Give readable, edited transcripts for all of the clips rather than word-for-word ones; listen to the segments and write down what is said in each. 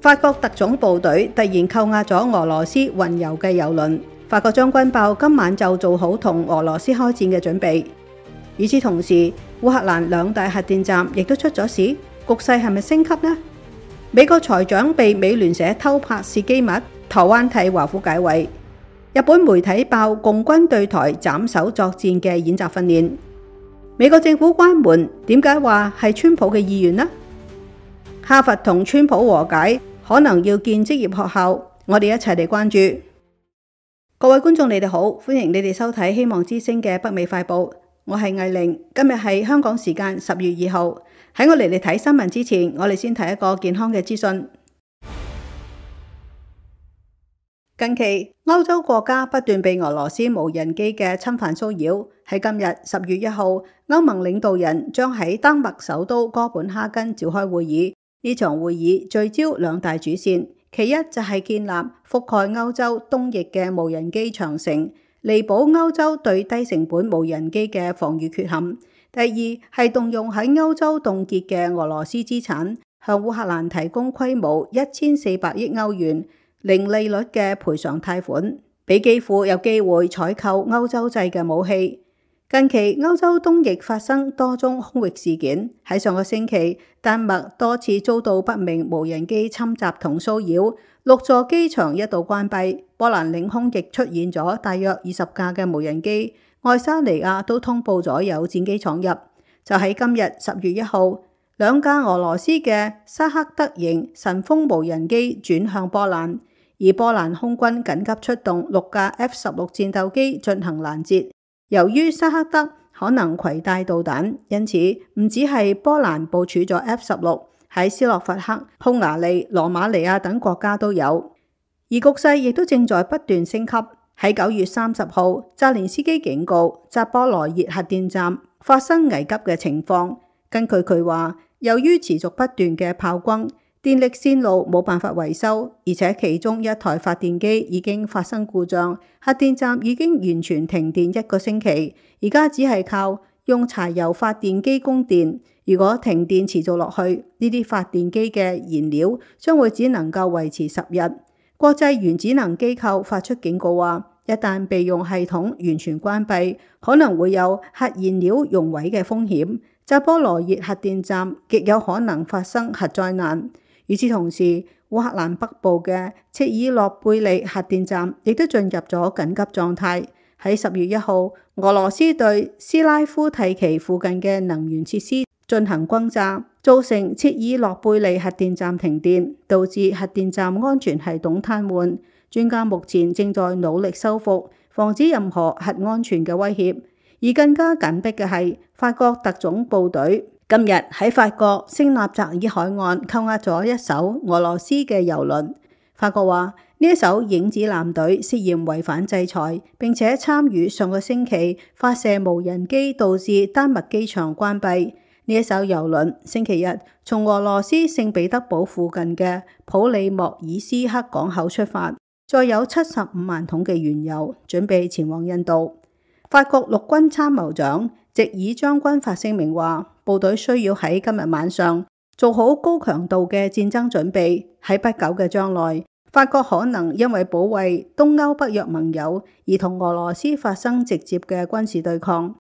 法國特種部隊突然扣押咗俄羅斯運油嘅油輪，法國將軍報今晚就做好同俄羅斯開戰嘅準備。與此同時，烏克蘭兩大核電站亦都出咗事，局勢係咪升級呢？美國財長被美聯社偷拍竊機密，台灣替華府解圍。日本媒體爆共軍對台斬首作戰嘅演習訓練。美國政府關門，點解話係川普嘅意願呢？哈佛同川普和解，可能要建職業學校，我哋一齊嚟關注。各位觀眾你哋好，歡迎你哋收睇希望之聲嘅北美快報，我係藝玲。今日係香港時間10月2號。喺我嚟睇新聞之前，我哋先睇一個健康嘅資訊。近期歐洲國家不斷被俄羅斯無人機嘅侵犯騷擾。喺今日10月1號，歐盟領導人將喺丹麥首都哥本哈根召開會議。呢場會議聚焦兩大主線，其一就係建立覆蓋歐洲東翼嘅無人機長城，彌補歐洲對低成本無人機嘅防禦缺陷。第二係動用喺歐洲凍結嘅俄羅斯資產，向烏克蘭提供規模1400億歐元零利率嘅賠償貸款，俾基輔有機會採購歐洲製嘅武器。近期歐洲東翼發生多宗空域事件，喺上個星期，丹麥多次遭到不明無人機侵襲同騷擾，6座機場一度關閉。波蘭領空亦出現咗大約20架嘅無人機，愛沙尼亞都通報咗有戰機闖入。就喺今日10月1號，兩架俄羅斯嘅沙克德型神風無人機轉向波蘭，而波蘭空軍緊急出動6架 F-16戰鬥機進行攔截。由於沙克德可能攜帶導彈，因此唔止係波蘭部署咗 F-16，喺斯洛伐克、匈牙利、羅馬尼亞等國家都有。而局勢亦都正在不斷升級。喺9月30號，澤連斯基警告扎波羅熱核電站發生危急嘅情況。根據佢話，由於持續不斷嘅炮轟，電力線路冇辦法維修，而且其中一台發電機已經發生故障，核電站已經完全停電1個星期，而家只係靠用柴油發電機供電。如果停電持續落去，呢啲發電機嘅燃料將會只能夠維持10日。國際原子能機構發出警告話，一旦備用系統完全關閉，可能會有核燃料熔毀嘅風險。扎波羅熱核電站極有可能發生核災難。與此同時，烏克蘭北部嘅切爾諾貝利核電站亦都進入咗緊急狀態。喺10月1號，俄羅斯對斯拉夫蒂奇附近嘅能源設施進行轟炸，造成切爾諾貝利核電站停電，導致核電站安全系統癱瘓。專家目前正在努力修復，防止任何核安全嘅威脅。而更加緊迫嘅係，法國特種部隊今日喺法國聖納扎爾海岸扣押咗一艘俄羅斯嘅油輪。法國話呢一艘影子艦隊涉嫌違反制裁，並且參與上個星期發射無人機導致丹麥機場關閉。呢一艘油輪星期日從俄羅斯聖彼得堡附近嘅普里莫爾斯克港口出發，載有75萬桶嘅原油，準備前往印度。法國陸軍參謀長席爾將軍發聲明話，部隊需要喺今日晚上做好高強度嘅戰爭準備。喺不久嘅將來，法國可能因為保衛東歐北約盟友而同俄羅斯發生直接嘅軍事對抗。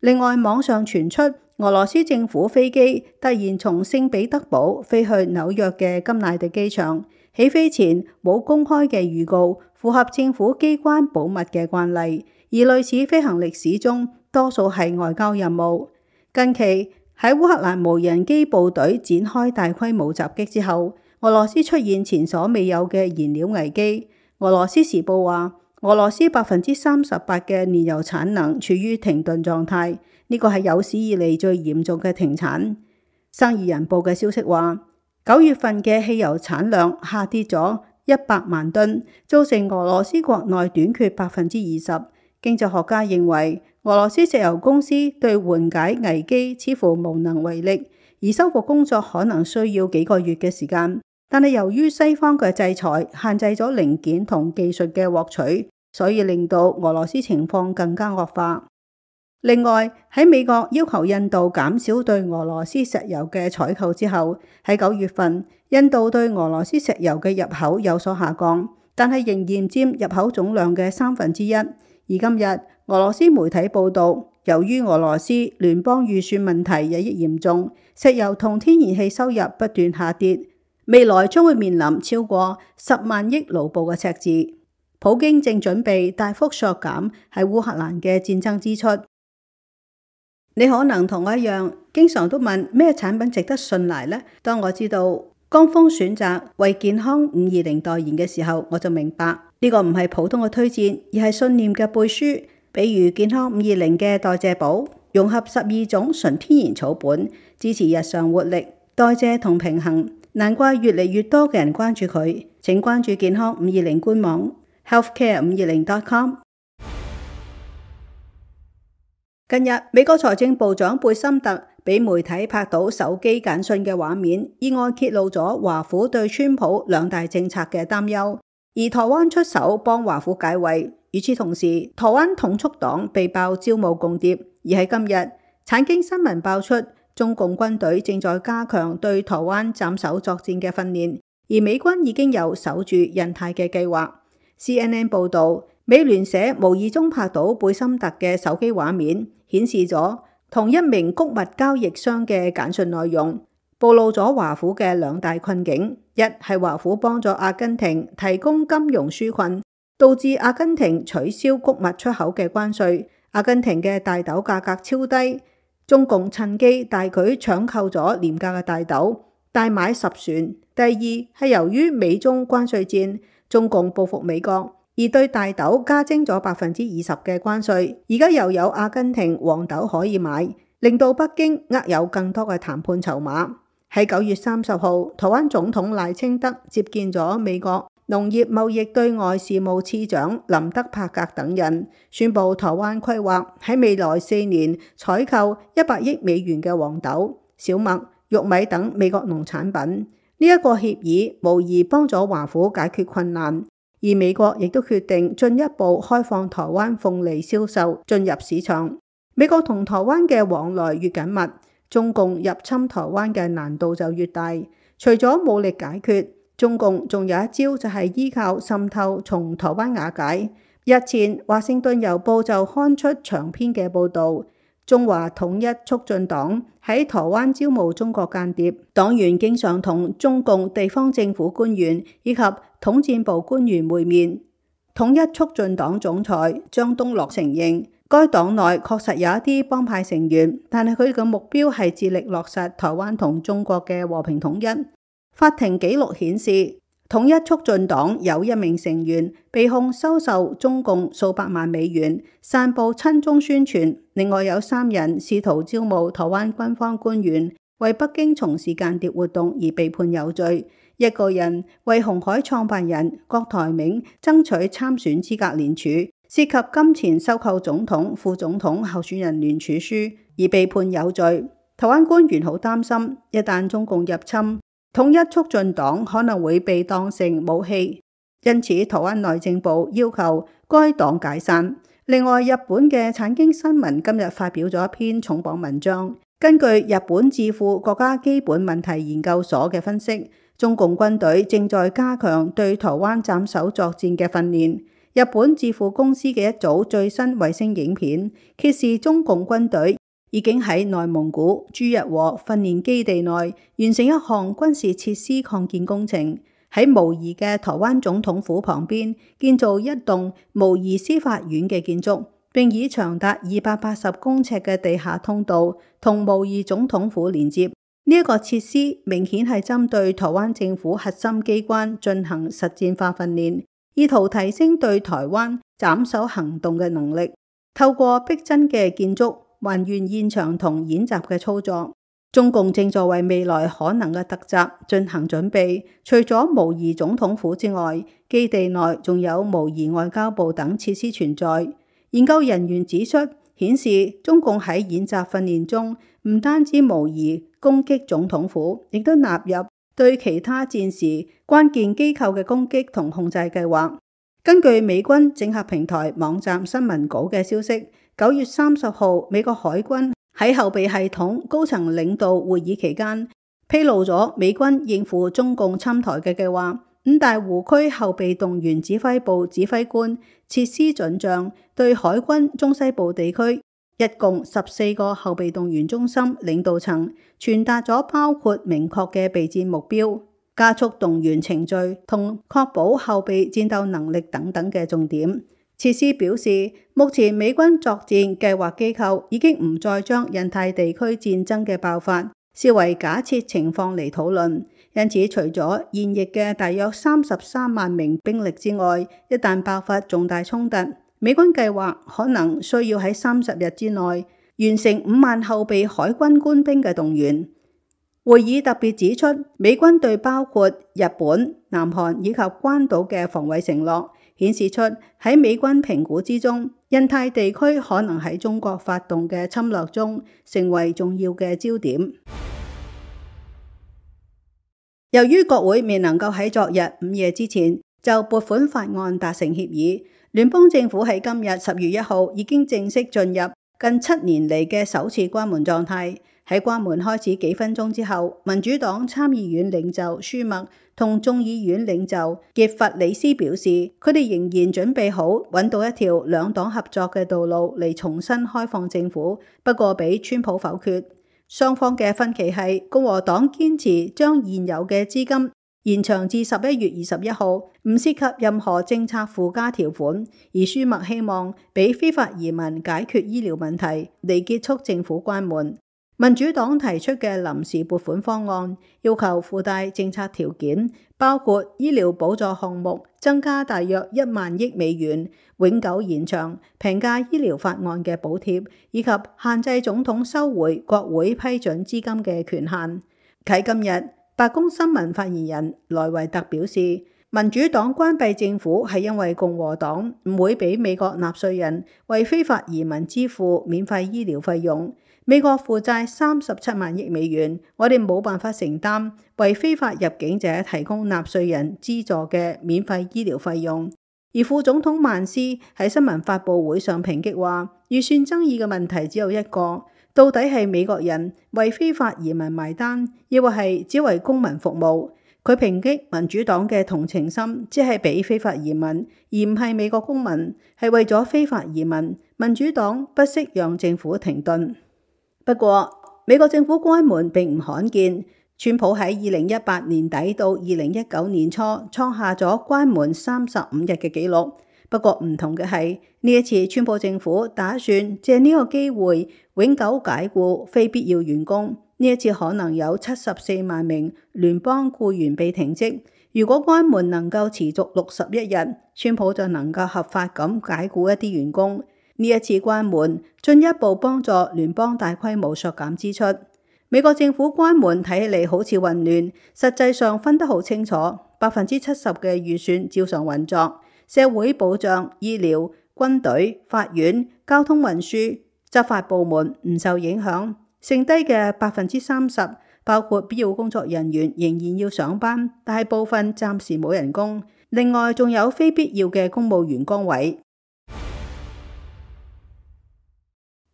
另外，網上傳出俄羅斯政府飛機突然從聖彼得堡飛去紐約嘅金乃迪機場，起飛前冇公開嘅預告，符合政府機關保密嘅慣例。而類似飛行歷史中，多數係外交任務。近期喺烏克蘭無人機部隊展開大規模襲擊之後，俄羅斯出現前所未有嘅燃料危機。俄羅斯時報話，俄羅斯38%嘅燃油產能處於停頓狀態，呢個係有史以嚟最嚴重嘅停產。生意人報嘅消息話，9月份嘅汽油產量下跌咗100萬噸，造成俄羅斯國內短缺20%。經濟學家認為，俄羅斯石油公司對緩解危機似乎無能為力，而修復工作可能需要幾個月嘅時間。但係由於西方嘅制裁限制咗零件同技術嘅獲取，所以令到俄羅斯情況更加惡化。另外，喺美國要求印度減少對俄羅斯石油嘅採購之後，喺9月份，印度對俄羅斯石油嘅入口有所下降，但係仍然佔入口總量嘅1/3。而今日俄羅斯媒體報道，由於俄羅斯聯邦預算問題日益嚴重，石油同天然氣收入不斷下跌，未來將會面臨超過10萬億盧布嘅赤字。普京正準備大幅削減喺烏克蘭嘅戰爭支出。你可能同我一樣，經常都問咩產品值得信賴呢？當我知道江峰選擇為健康520代言嘅時候，我就明白呢個唔係普通嘅推薦，而係信念嘅背書。比如健康520嘅代謝寶，融合12種純天然草本，支持日常活力、代謝同平衡。難怪越嚟越多嘅人關注佢。請關注健康520官網 healthcare520.com。近日，美國財政部長貝森特俾媒體拍到手機簡訊嘅畫面，意外揭露咗華府對川普2大政策嘅擔憂，而台灣出手幫華府解圍。與此同時，台灣統促黨被爆招募共諜，而喺今日，產經新聞爆出中共軍隊正在加強對台灣斬首作戰嘅訓練，而美軍已經有守住印太嘅計劃。CNN 報導，美聯社無意中拍到貝森特嘅手機畫面，顯示咗同一名穀物交易商嘅簡訊內容，暴露咗華府嘅2大困境。一係華府幫助阿根廷提供金融紓困，導致阿根廷取消穀物出口嘅關稅，阿根廷嘅大豆價格超低，中共趁機大舉搶購咗廉價嘅大豆，大買10船。第二係由於美中關稅戰，中共報復美國，而對大豆加徵咗20%嘅關稅，而家又有阿根廷黃豆可以買，令到北京握有更多嘅談判籌碼。喺9月30號，台灣總統賴清德接見咗美國農業貿易對外事務次長林德柏格等人，宣布台灣規劃喺未來4年採購100億美元嘅黃豆、小麥、玉米等美國農產品。呢一個協議無疑幫咗華府解決困難，而美國亦都決定進一步開放台灣鳳梨銷售進入市場。美國同台灣嘅往來越緊密，中共入侵台灣嘅難度就越大。除咗武力解決，中共仲有一招，就係依靠滲透從台灣瓦解。日前華盛頓郵報就刊出長篇嘅報導，中華統一促進黨喺台灣招募中國間諜，黨員經常同中共地方政府官員以及統戰部官員會面。統一促進黨總裁張東樂承認，該黨內確實有一啲幫派成員，但係佢哋嘅目標係致力落實台灣同中國嘅和平統一。法庭記錄顯示，統一促進黨有1名成員被控收受中共數百萬美元，散布親中宣傳。另外有3人試圖招募台灣軍方官員，為北京從事間諜活動而被判有罪。1個人為鴻海創辦人郭台銘爭取參選資格聯署，涉及金錢收購總統、副總統候選人聯署書而被判有罪。台灣官員好擔心，一旦中共入侵，統一促進黨可能會被當成武器，因此台灣內政部要求該黨解散。另外，日本嘅產經新聞今日發表咗一篇重磅文章，根據日本智庫國家基本問題研究所嘅分析，中共軍隊正在加強對台灣斬首作戰嘅訓練。日本智庫公司嘅一組最新衛星影片揭示中共軍隊已經喺內蒙古朱日和訓練基地內完成一項軍事設施擴建工程，喺模擬嘅台灣總統府旁邊建造一棟模擬司法院嘅建築，並以長達280公尺嘅地下通道同模擬總統府連接。呢一個設施明顯係針對台灣政府核心機關進行實戰化訓練，意圖提升對台灣斬首行動嘅能力。透過逼真嘅建築還原現場同演習嘅操作，中共正在為未來可能嘅突襲進行準備。除咗模擬總統府之外，基地內仲有模擬外交部等設施存在。研究人員指出，顯示中共喺演習訓練中唔單止模擬攻擊總統府，亦都納入對其他戰時關鍵機構嘅攻擊同控制計劃。根據美軍整合平台網站新聞稿嘅消息，9月30號，美國海軍喺後備系統高層領導會議期間，披露咗美軍應付中共侵台嘅計劃。五大湖區後備動員指揮部指揮官設施準將對海軍中西部地區一共14個後備動員中心領導層傳達咗包括明確嘅備戰目標、加速動員程序同確保後備戰鬥能力等等嘅重點。設施表示，目前美軍作戰計劃機構已經唔再將印太地區戰爭嘅爆發視為假設情況嚟討論，因此除咗現役嘅大約33萬名兵力之外，一旦爆發重大衝突，美軍計劃可能需要喺30日之內完成5萬後備海軍官兵嘅動員。會議特別指出，美軍對包括日本、南韓以及關島嘅防衛承諾，顯示出喺美軍評估之中，印太地區可能喺中國發動嘅侵略中成為重要嘅焦點。由於國會未能夠喺昨日午夜之前就撥款法案達成協議，聯邦政府喺今日10月1號已經正式進入近7年嚟嘅首次關門狀態。喺關門開始幾分鐘之後，民主黨參議院領袖舒默同眾議院領袖傑弗里斯表示，佢哋仍然準備好揾到一條兩黨合作嘅道路嚟重新開放政府，不過被川普否決。雙方嘅分歧係共和黨堅持將現有嘅資金延長至11月21號，唔涉及任何政策附加條款，而舒默希望俾非法移民解決醫療問題嚟結束政府關門。民主黨提出嘅臨時撥款方案要求附帶政策條件，包括醫療補助項目增加大約1萬億美元，永久延長平價醫療法案嘅補貼，以及限制總統收回國會批准資金嘅權限。喺今日，白宮新聞發言人萊維特表示，民主黨關閉政府係因為共和黨唔會俾美國納稅人為非法移民支付免費醫療費用。美國負債37萬億美元，我哋冇辦法承擔為非法入境者提供納稅人資助嘅免費醫療費用。而副總統曼斯喺新聞發佈會上抨擊話，預算爭議嘅問題只有一個，到底係美國人為非法移民埋單，抑或係只為公民服務。佢抨擊民主黨嘅同情心只係俾非法移民，而唔係美國公民，係為咗非法移民，民主黨不惜讓政府停頓。不過，美國政府關門並唔罕見。川普喺2018年底到2019年初創下咗關門35日嘅紀錄。不過唔同嘅係，呢一次川普政府打算借呢個機會永久解僱非必要員工。呢一次可能有74萬名聯邦僱員被停職。如果關門能夠持續61日，川普就能夠合法咁解僱一啲員工。呢一次關門進一步幫助聯邦大規模削減支出。美國政府關門睇起嚟好似混亂，實際上分得好清楚，70%嘅預算照常運作，社會保障、醫療、軍隊、法院、交通運輸、執法部門唔受影響，剩低嘅30%包括必要工作人員仍然要上班，但係部分暫時冇人工。另外仲有非必要嘅公務員崗位。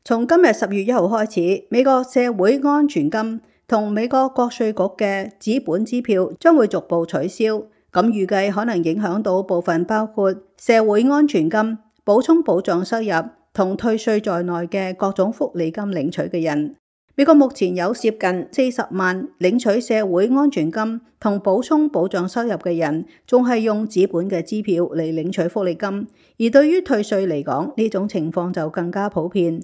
從今日10月1號開始，美國社會安全金同美國國稅局嘅紙本支票將會逐步取消，咁預計可能影響到部分包括社會安全金、補充保障收入同退稅在內嘅各種福利金領取嘅人。美國目前有接近40萬領取社會安全金同補充保障收入嘅人，仲係用紙本嘅支票嚟領取福利金，而對於退稅嚟講，呢種情況就更加普遍。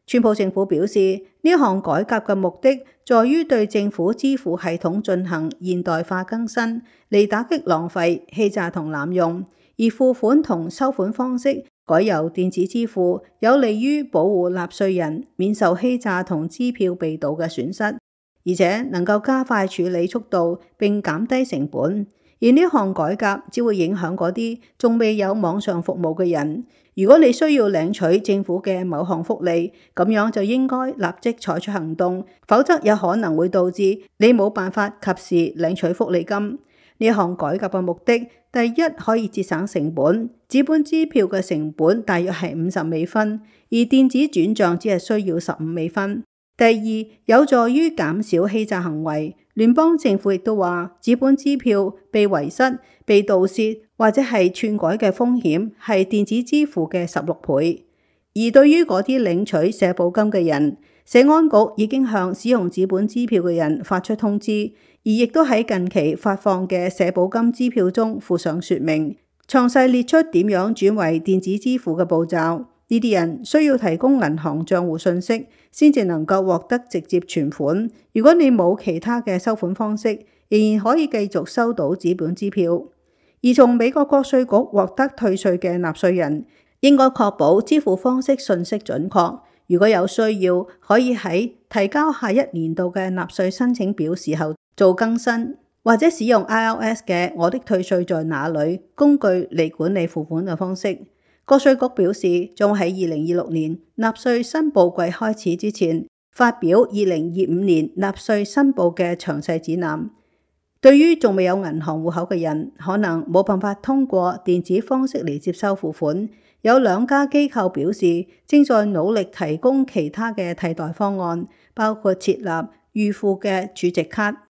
川普政府表示，呢項改革嘅目的在於對政府支付系統進行現代化更新，嚟打擊浪費、欺詐同濫用。而付款同收款方式改由電子支付，有利於保護納稅人免受欺詐同支票被盜嘅損失，而且能夠加快處理速度並減低成本。而呢項改革只會影響嗰啲仲未有網上服務嘅人。如果你需要領取政府嘅某項福利，咁樣就應該立即採取行動，否則有可能會導致你冇辦法及時領取福利金。呢項改革嘅目的，第一可以節省成本，紙本支票嘅成本大約係50美分，而電子轉賬只係需要15美分。第二，有助於減少欺詐行為，聯邦政府亦都話，紙本支票被遺失、被盜竊或者係篡改嘅風險係電子支付嘅16倍。而對於嗰啲領取社保金嘅人，社安局已經向使用紙本支票嘅人發出通知，而亦都喺近期發放嘅社保金支票中附上說明，詳細列出點樣轉為電子支付嘅步驟。呢啲人需要提供銀行賬戶信息，先至能夠獲得直接存款。如果你冇其他嘅收款方式，仍然可以繼續收到紙本支票。而從美國國稅局獲得退稅嘅納稅人，應該確保支付方式信息準確。如果有需要，可以喺提交下一年度嘅納稅申請表時候做更新，或者使用 IRS 嘅我的退稅在哪裏工具嚟管理付款嘅方式。國稅局表示，將喺2026年納稅申報季開始之前，發表2025年納稅申報嘅詳細指南。對於仲未有銀行戶口嘅人，可能冇辦法通過電子方式嚟接收付款。有2家機構表示，正在努力提供其他嘅替代方案，包括設立預付嘅儲值卡。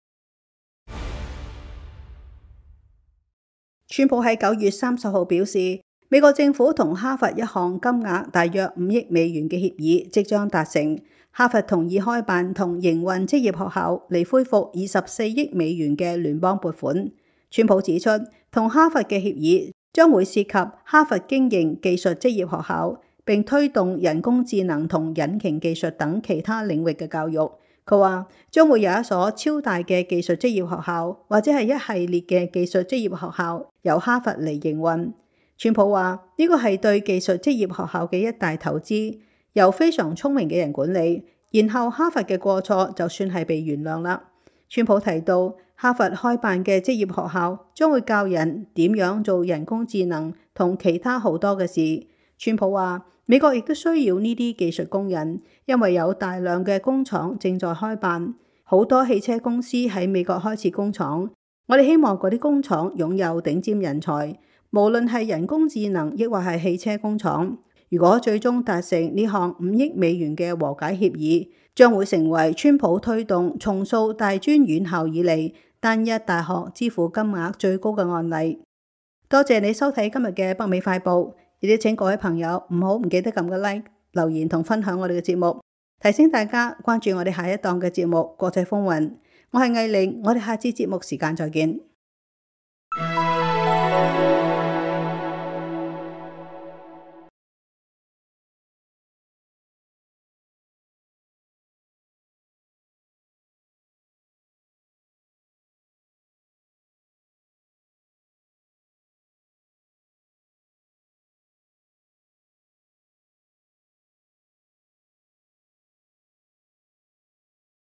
川普喺9月30號表示，美國政府同哈佛一項金額大約5億美元嘅協議即將達成。哈佛同意開辦同營運職業學校嚟恢復24億美元嘅聯邦撥款。川普指出，同哈佛嘅協議將會涉及哈佛經營技術職業學校，並推動人工智能同引擎技術等其他領域嘅教育。佢話將會有一所超大嘅技術職業學校，或者係一系列嘅技術職業學校由哈佛嚟營運。川普話呢個係對技術職業學校嘅一大投資，由非常聰明嘅人管理，然後哈佛嘅過錯就算係被原諒啦。川普提到，哈佛開辦嘅職業學校將會教人點樣做人工智能同其他好多嘅事。川普話，美國亦都需要呢啲技術工人，因為有大量嘅工廠正在開辦，好多汽車公司喺美國開設工廠。我哋希望嗰啲工廠擁有頂尖人才，無論係人工智能抑或係汽車工廠。如果最終達成呢項5億美元嘅和解協議，將會成為川普推動重塑大專院校以嚟單一大學支付金額最高嘅案例。多謝你收睇今日嘅北美快報，亦都請各位朋友唔記得撳個 like、留言同分享我哋嘅節目，提醒大家關注我哋下一檔嘅節目《國際風雲》。我係藝玲，我哋下次節目時間再見。